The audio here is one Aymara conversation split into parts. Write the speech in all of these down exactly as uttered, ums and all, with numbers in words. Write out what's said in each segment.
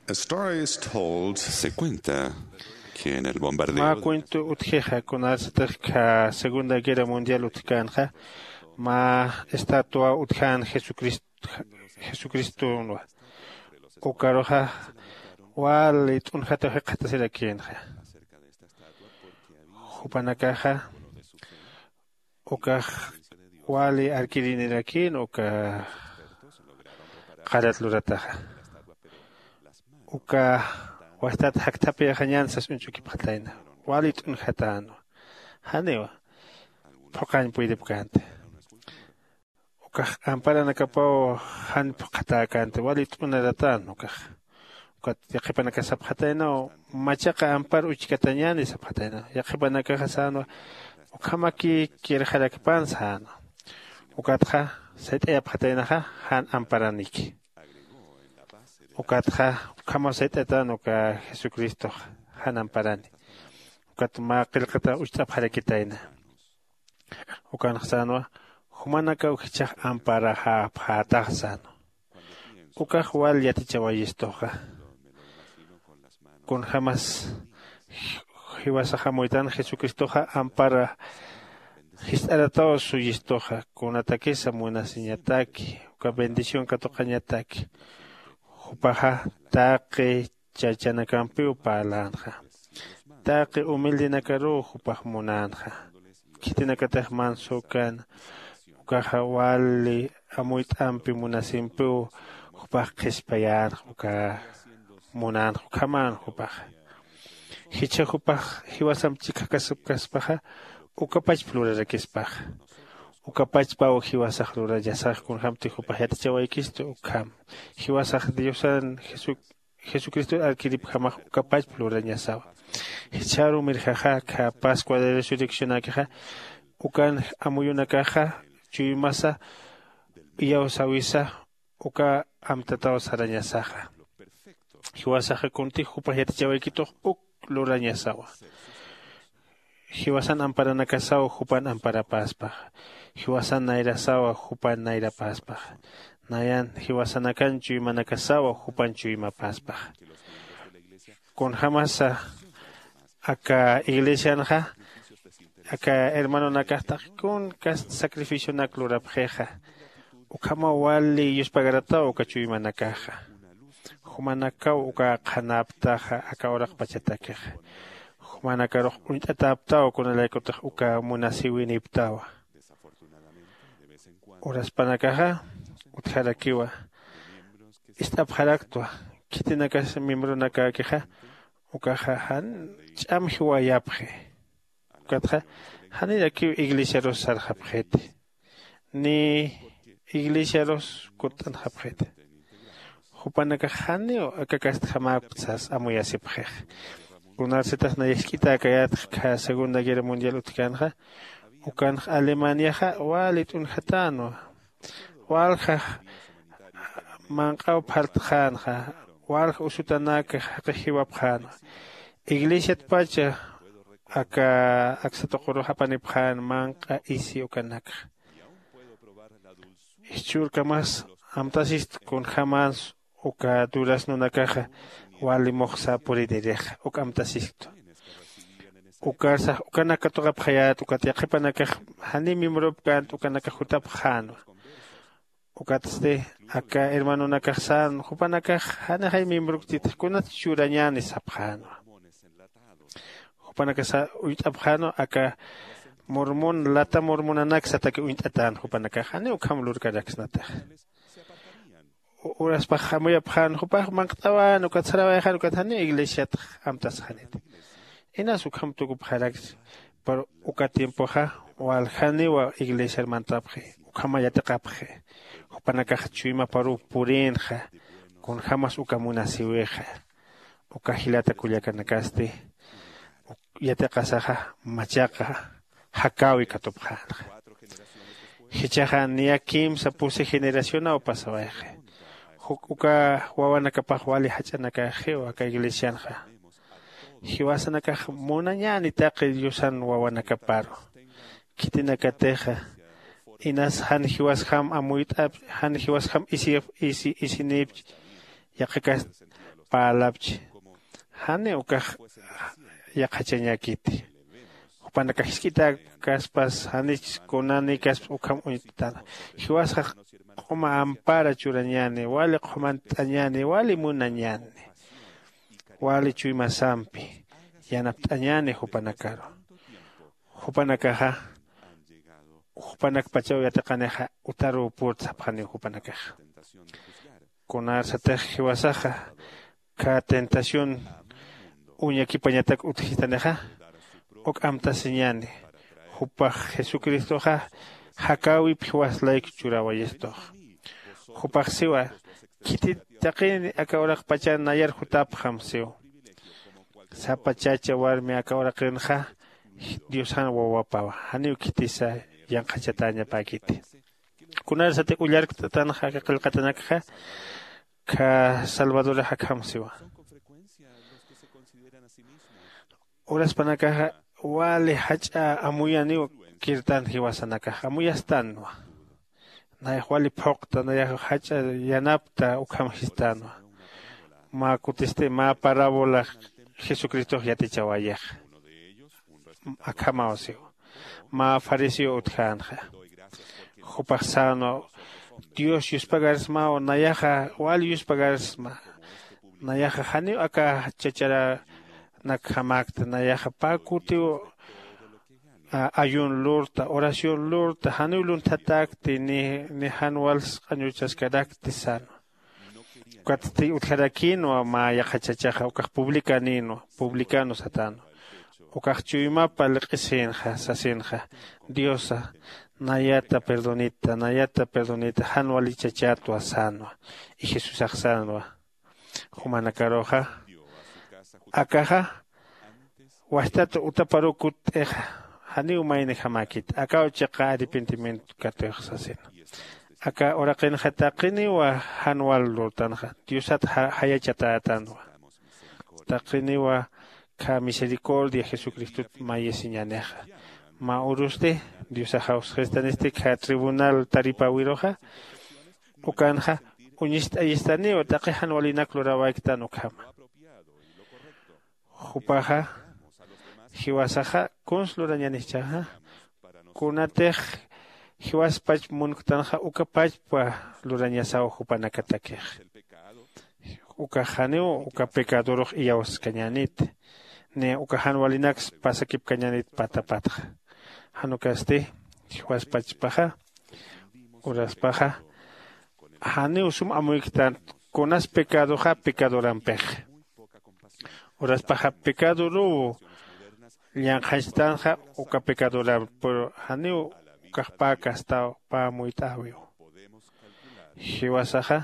A story is told. Se cuenta que en el bombardeo. Mä cuento utjixa, kunarsatix kha Segunda Guerra Mundial utjkänxa, mä estatua utjän Jesucristo, Jesucristonwa. Ukaruxa wali t'unjataw jikxatasirakïnxa. Jupanakaxa ukax wali arkirinirakin uka qarat lurataxa. Uka wastat jakthapïxañän sas uñch'ukipxatayna. Wali t'unjatänwa. Janiwa phuqañ puydipkänti. Ukax amparanakapaw jan phuqhatäkänti wali t'unaratän ukax. Ukat yaqhipanakax sapxataynaw, machaqa ampar uchkatañäni sapxataynaw. Yaqhipanakaxa sänwa ukhamakï kirxarakpan sänwa. Ukatxa sayt'ayapxataynaxa jan amparaniki. Ukatxa ukhamaw sayt'atän uka Jesucristox jan amparani. Ukat mä qillqatax ucht'apxarakitayna. Ukanx sänwa jumanakaw jichhax amparaxapxätax sänwa. Ukax wal yatichawayistuxa. Kunjämas jiwasax amuytan Jesucristoxa ampara jist'arataw suyistuxa, kunatakisa munasiñataki uka bendición katuqañataki. Jupaxa taqi chachanakampiw parlänxa. Taqi humildenakaruw jupax munänxa. Khitinakatix mansükän ukaxa wali amuyt'ampi munasimpiw jupax qhispayänxa uka munänxa ukhamän jupaxa. Jichha jupax jiwasamp chhikakaspaxa ukapachp lurarakispaxa. Ukapachpaw jiwasax lurañasax kunjämti jupax yatichawaykistu ukham. Jiwasax diosan jesucristor arkiripjamax ukapachp lurañasawa. Jichharu mirjaxa kha pascua de resurreccionäkixa ukan amuyunakaxa chuymasa iyawsäwisa uka amtataw sarañasaxa. Jiwasaxa kuntix jupax yatichawaykitux uk lurañasawa. Jiwasan amparanakasaw jupan amparapäspaxa. Jiwasan nayrasawa jupan nayrapaspaxa. Nayan jiwasanakan chuymanakasawa jupan chuymapaspaxa. Kunjämasa aka iglesianxa aka hermanonakax taqi kunkast sacrificionak lurapxixa. Ukhamaw wali yuspagarataw uka chuymanakaxa. Jumanakaw uka qhanaptaxa aka uraqpachatakixa. Jumanakarux uñt'atäptaw kunalaykutix uka munasiwiniptawa. Uraspanakaxa utjarakiwa ist'apxaraktwa. Khitinakas miembronakäkixa ukaxa jan ch'am jiwayapxi. Ukatxa janirakiw iglesiarus sarxapxiti ni iglesiarus kutt'anxapxiti. Jupanakax janiw akakastjamäkptsas amuyasipxix. Kunarsitax nayask'itäkayätx kha segunda guerra mundial utjkänxa ukanx alemaniaxa wali t'unjatänwa. Waljax manq'aw phartxänxa. Walja usutanaka jaqix jiwapxänwa. Iglesiatpacha aka aksa tuqurux apanipxän manq'a isi ukanakxa. Jichhürkamas amtasist kunjämans uka duraznonakaxa wali muxsa purinirixa uk amtasistu. Ukarsax ukanak katuqapxayät ukat yaqhipanakax janiw miembropkänti ukanakax jutapxänwa. Ukatsti aka hermanonakax sän jupanakax janixay miembroktitix kunat churañäni sapxänwa. Jupanakasa uñt'apxänwa aka mormon lata mormonanak sataki uñt'atän jupanakax janiw ukham lurkaraksnatix. Uraspax amuyapxän jupax manqt'awän ukat sarawayxän ukat janiw iglesiatx amtasxaniti. Inas ukham tukupxarakchi. Pero uka tiempoxa waljaniwa iglesiar mantapxi ukhama yatiqapxi. Jupanakax chuymaparuw purïnxa kunjämas uka munasiwixa. Uka jilata kullakanakasti yatiqasaxa machaqa jakäwi katupxänxa. Jichhaxa niya kimsa pusi generacionaw pasawayxi. Juk uka wawanakapax wali jach'anakaxiw aka iglesianxa. Jiwasanakax munañäni taqi diosan wawanakaparu. Khitinakatixa inas jan jiwasjam amuyt'apchi jan jiwasjam isi isi isinïpchi. Yaqhikas parlapchi. Jani ukax yaqhachañäkiti. Jupanakax jisk'itäkaspas janich kunanikas ukham uñt'tana. Jiwasax q'uma ampara churañäni, wali qhumant'añäni, wali munañäni, wali chuymasampi yanapt'añäni jupanakaru. Jupanakaxa jupanakpachaw yatiqanixa utaruw purta sapxaniw jupanakaxa. Kunarsatix jiwasaxa kha tentación uñakipañatak utjistanixa, uk amtasiñäni. Jupax jesucristoxa jakäwip jiwas layku churäwayistux. Jupax siwa, khitit taqini aka uraqpachan nayar jutapxam siw. Sapa chacha warmi aka uraqinxa diosan wawapawa, janiw khitisa yanqhachatäñapäkiti. Kunarsati ullarkt'atanxa aka qillqatanakxa, kha salvadorax akham siwa. Uraspanakaxa wali jach'a amuyaniw kirtan jiwasanakax amuyastänwa. Nayax wali phuqta, nayax jach'a yanapta ukham sistänwa. Mä kutisti mä parábola jesucristox yatichawayixa. Akhamaw siw. Mä fariseo utjänxa, jupax sänwa, dios yuspagarsmaw, nayaxa wal yuspagarsma. Nayaxa janiw aka chacharanakjamäkta, nayaxa pä kutiw ayun lurta, oración lurta, janiw lunthatäkti, ni jan wals q'añuchaskarakti sänwa. Ukatsti utjarakïnwa mä yaqha chachaxa ukax publicanïnwa, publicano satänwa. Ukax chuymapa liq'isïnxa sasinxa, diosa, nayata perdonita, nayata perdonita, jan wali chachätwa sänwa. Y jesusax sänwa, jumanakaruxa akaxa wajtat utaparuw kutt'ixa, janiw maynixamäkit, akaw chiqa arrepentimiento katix sasina. Aka uraqinxa taqiniwa jan wal lurtanxa, diosat jayachatätanwa. Taqiniwa kha misericordia jesucristot mayisiñänixa. Mä urusti diosax awsxistanisti kha tribunal taripäwiruxa, ukanxa uñist'ayistaniwa taqi jan walinak luräwayktän ukhama. Jupaxa jiwasaxa kuns lurañäni jichhaxa, kunatix jiwaspach munktanxa uka pachpa lurañasaw jupanakatakix. Ukax janiw uka pecadorux iyawskañänit, ni uka jan walinaks pasakipkañänit patapatxa. Jan ukasti jiwaspachpaxa, uraspaxa janiw sum amuyktan kunas pecadoxa pecadorampix. Uraspaxa pecadoruw llanqhañchtänxa uka pecadoramp, pero janiw ukax pä castaw pä muyt'äwiw. Jiwasaxa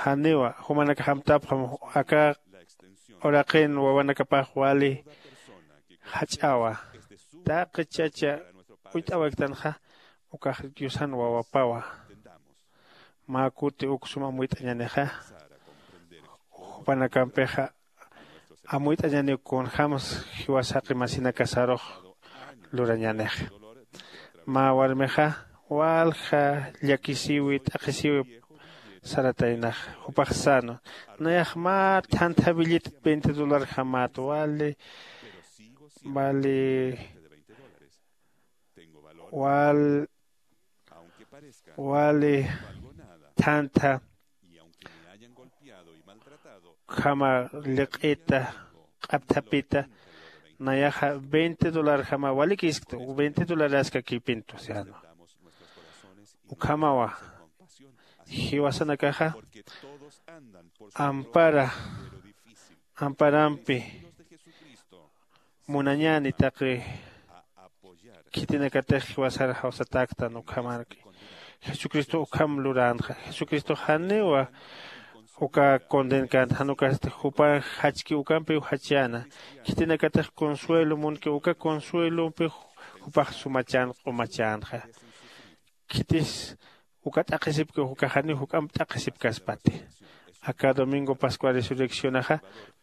janiwa jumanakax amtapxam aka uraqin wawanakapax wali jach'awa. Taqi chacha uyt'awayktanxa ukax diosan wawapawa. Mä kuti uk sum amuyt'añänixa, jupanakampixa amuyt'añäniw kunjämsa jiwas jaqimasinakasarux lurañänixa. Mä warmixa walja llakisiwi t'aqhisiwi sarataynaxa. Jupax sänwa, nayax mä thantha billit veinte dolarjamät wali, wali wal wali thantha jama liq'ita q'apthapita, nayaxa veinte dolarjama walikiskta, veinte dolaraskakipintu sänwa. Ukhamawa jiwasanakaxa ampara amparampi munañäni taqi khitinakatix jiwasar jawsatäktan ukhamarki. Jesucristo ukham luränxa. Jesucristox janiwa uka condenkänxa, jan ukasti jupa jachki ukampiw jachäna. Khitinakatix consuelo munki, uka consuelompi jupax sumachän q'umachänxa. Khitis uka t'aqhisipki ukaxaniw juk'amp t'aqhisipkaspati. Aka domingo pascua resurreccionaxa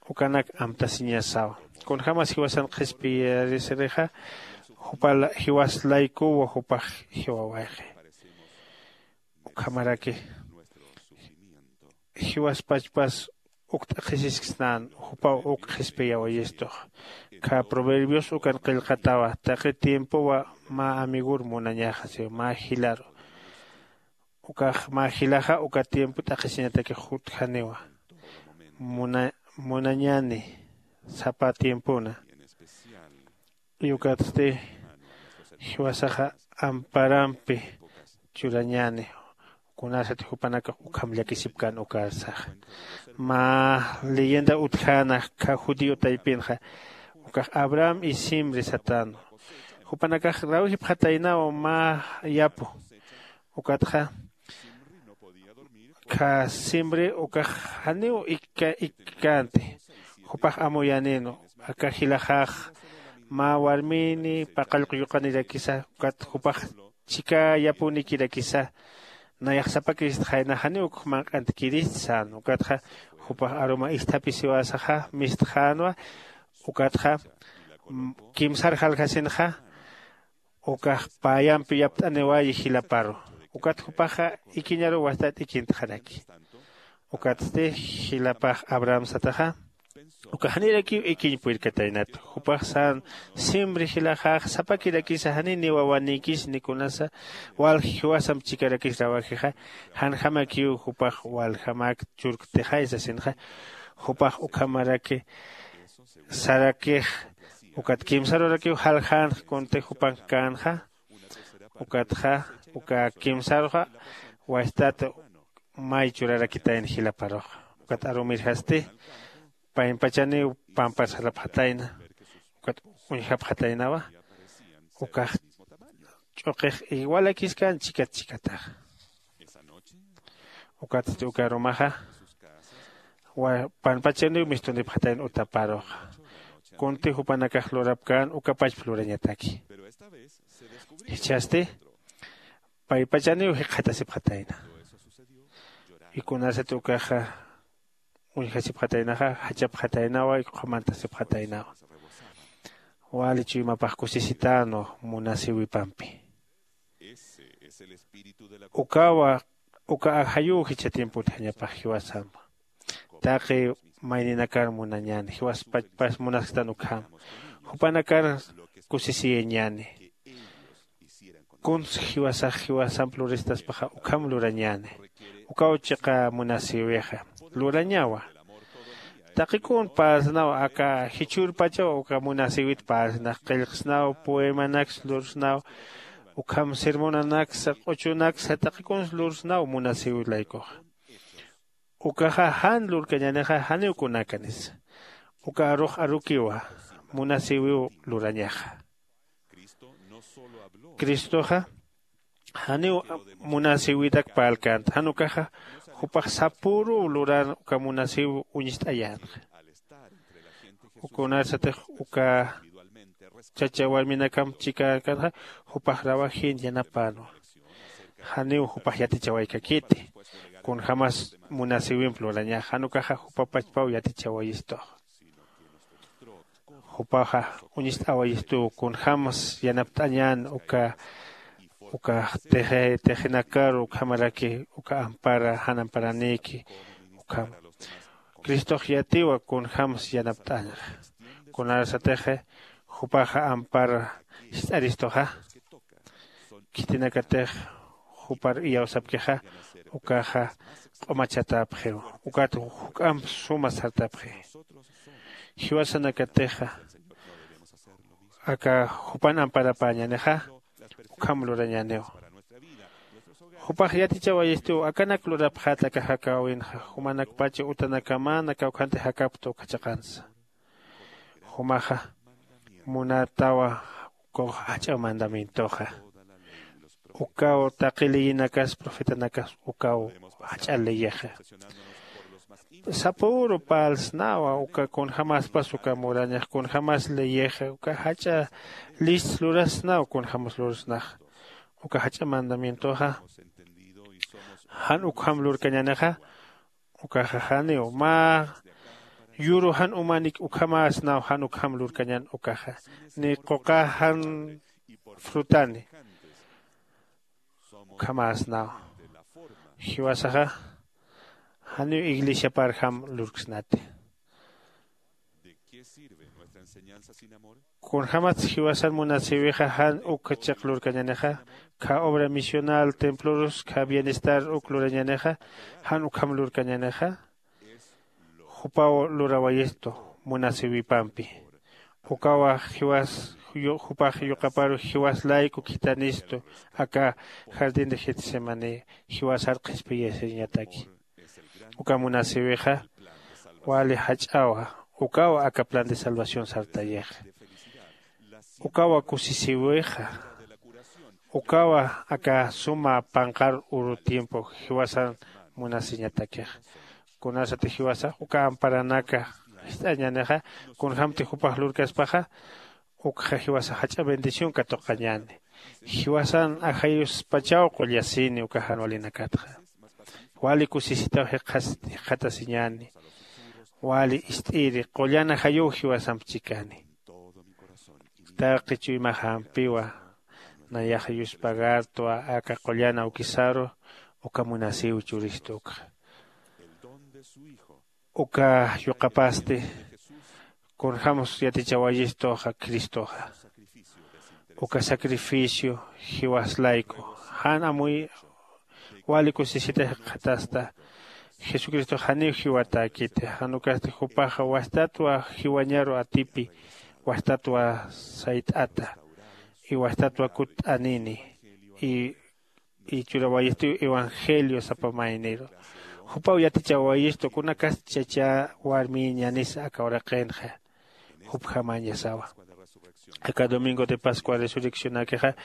ukanak amtasiñasawa. Kunjämas jiwasan qhispiyarisirixa jupa jiwas laykuwa jupax jiwawayxi. Ukhamaraki jiwaspachpas uk t'aqhisisksnan jupaw uk qhispiyawayistux. Kha proverbios ukan qillqatawa taqi tiempowa mä amigor munañaxa siw mä jilaru. Ukax mä jilaxa uka tiempo t'aqhisiñatakix jutjaniwa. Muna munañani sapa tiempona. Y ukatsti jiwasaxa amparampi churañäni. Kunasati jupanakax ukham llakisipkän ukarsaxa mä leyenda utjäna kha judío taypinxa ukax abraham y simri satänwa. Jupanakax rawjipxataynaw mä yapu. Ukatxa kha simri ukax janiw ikkänti. Jupax amuyänïnwa aka jilaxax mä warmini paqallqu yuqanirakisa ukat jupax chika yapunikirakisa nayax sapakiristxayna janiw uk manq'antkirist sän. Ukatxa jupax aruma isthapisiwasaxa mistxänwa. Ukatxa kimsar jaljasinxa ukax payampi yapt'aniwayi jilaparu. Ukat jupaxa ikiñaruw wastat ikintxaraki. Ukatsti jilapax abraham sataxa uka janirakiw ikiñ puyrkataynat. Jupax sän simri jilaxax sapakirakisa janiy ni wawanïkis ni kunasa walji jiwasamp chikarakis rawajixa janjamakiw jupax waljamak churktixay sasinxa. Jupax ukhamaraki sarakix ukat kimsarurakiw jaljänx kunti jupankkänxa. Ukatxa uka kimsaruxa wastat may churarakitayna jilaparux. Ukat arumirjasti paynpachaniw pampar sarapxatayna ukat uñjapxataynawa. Ukax ch'uqix igualakiskan chikat chikataxa. Ukatsti uka arumaxa pampachaniw mistunipxatayna utaparuxa. Kunti jupanakax lurapkän ukapachp lurañataki. Jichhasti paypachaniw jikxatasipxatayna. Y kunasati ukaxa uñjasipxataynaxa jachapxataynawa y qhumantasipxataynawa. Wali chuymapax kusisitänwa munasïwipampi. Ukawa uka ajayuw jichha tiempo utjañapax jiwasampa. Taqi mayninakar munañäni jiwaspachpas munasktan ukham jupanakar kusisiyañäni. Kuns jiwasax jiwasamp luristaspaxa ukham lurañäni. Ukaw chiqa munasïwixa lurañawa. Taqi kun parsnaw aka jichhürpachaw uka munasïwit parsnax qillqsnaw poemanaksa lursnaw ukham sermonanaksa q'uchunaksa taqi kuns lursnaw munasïwi laykuxa. Ukaxa jan lurkañänixa janiw kunäkanisa. Uka arux arukiwa munasïwiw lurañaxa. Cristoxa janiw munasïwitak parlkänta jan ukaxa jupax sapüruw luran uka munasïw uñst'ayänxa. Kunarsatix uka chacha warminakamp chikäkänxa jupax rawajin yanapänwa. Janiw jupax yatichawaykakiti kunjämas munasïwimp lurañaxa jan ukaxa jupapachpaw yatichawayistux. Jupaxa uñist'awayistuw kunjämas yanapt'añän uka uka tixinakaru ukhamaraki uka ampara jan amparanïki. Ukham cristox yatiwa kunjämas yanapt'añxa. Kunarsatixi jupaxa ampara jist'aristuxa khitinakatix jupar iyawsapkixa ukaxa q'umachätäpxiw. Ukat juk'amp suma sartapxi. Jiwasanakatixa aka jupan amparapäñänixa ukham lurañäniw. Jupax yatichawayistiw akanak lurapxät aka jakäwinxa jumanakpacha utanakamän aka ukhanti jakapta uka chiqansa. Jumaxa munatawa ukaw jach'a mandamientoxa. Ukaw taqi leyinakas profetanakas ukaw jach'a leyixa. Sapüru parlsnawa uka kunjämaspas uka murañax kunjämas leyixa uka jach'a list lurasnaw kunjämas lursnax. Uka jach'a mandamientoxa jan ukham lurkañänixa. Ukaxa janiw mä yuru jan umanik ukhamäsnaw jan ukham lurkañän ukaxa ni quqa jan frutani ukhamäsnaw. Jiwasaxa Janiw iglesiaparjam lurksnati. Kunjämatsa jiwasan munasïwixa jan uk chiq lurkañänixa, khä obra misional templorus khä bienestar uk lurañänixa, jan ukham lurkañänixa. Jupaw lurawayistu munasïwipampi. Ukawa jiwas jupax yuqaparu jiwas layku khithanistu aka jardín de getsemaní jiwasar qhispiyasiñataki. Uka munasïwixa wali jach'awa. Ukawa aka plan de salvación sartayixa. Ukawa kusisïwixa. Ukawa aka suma panqar uru tiempo jiwasan munasiñatakixa. Kunasati jiwasax uka amparanaka jist'añänixa kunjämti jupax lurkaspaxa, ukxa jiwasax jach'a bendición katuqañäni. Jiwasan ajayuspachaw qullasini uka jan walinakatxa. Wali kusisitaw jikxatasiñäni. Wali ist'iri qullan ajayuw jiwasamp chikani. Taqi chuymaxampiwa nayaxa yuspagartwa aka qullan awkisaru uka munasïw churistu ukxa. Uka yuqapasti kunjämsa yatichawayistuxa cristoxa. Uka sacrificio jiwas layku jan amuy wali kusisita jikxatasta. Jesucristox janiw jiwatäkiti jan ukasti jupaxa wastatwa jiwañaru atipi, wastatwa sayt'ata y wastatwa kutt'anini. Y churawayistu evangelio sapa mayniru. Jupaw yatichawayistu kunakasti chachä warmïñänisa aka uraqinxa jupjamañasawa. Aka domingo de pascua resurreccionakixa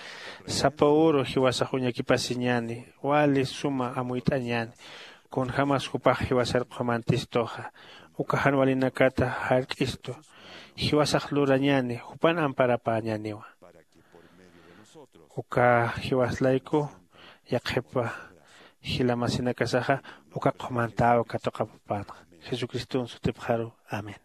sapa uru jiwasax uñakipasiñäni. Wali suma amuyt'añäni kunjämas jupax jiwasar qhumantistuxa. Uka jan walinakata jark'istu jiwasax lurañäni jupan amparapäñäniwa. Uka jiwas layku yaqhip jila masinakasaxa uka qhumantäw katuqapapänxa. Jesucriston sutipxaru. Amén.